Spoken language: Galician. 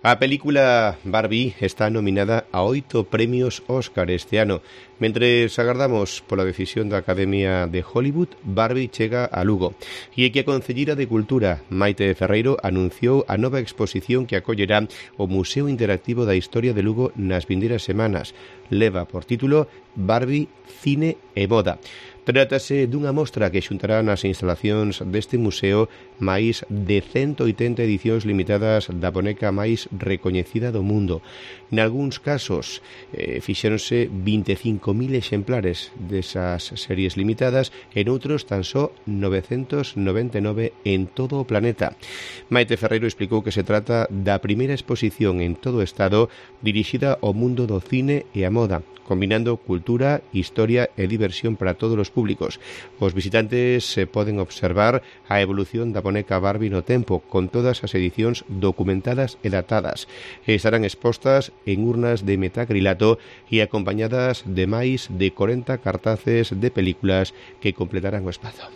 A película Barbie está nominada a 8 premios Óscar este ano. Mentres agardamos pola decisión da Academia de Hollywood, Barbie chega a Lugo. E é que a Concelleira de Cultura, Maite Ferreiro, anunciou a nova exposición que acollerá o Museo Interactivo da Historia de Lugo nas vindeiras semanas. Leva por título Barbie, Cine e Moda. Trátase dunha mostra que xuntará nas instalacións deste museo máis de 180 edicións limitadas da boneca máis recoñecida do mundo. Nalgúns casos fixéronse 25.000 exemplares desas series limitadas e noutros tan só 999 en todo o planeta. Maite Ferreiro explicou que se trata da primeira exposición en todo o Estado dirixida ao mundo do cine e a moda, combinando cultura, historia e diversión para todos os públicos. Os visitantes poden observar a evolución da boneca Barbie no tempo, con todas as edicións documentadas e datadas. Estarán expostas en urnas de metacrilato e acompañadas de máis de 40 cartaces de películas que completarán o espazo.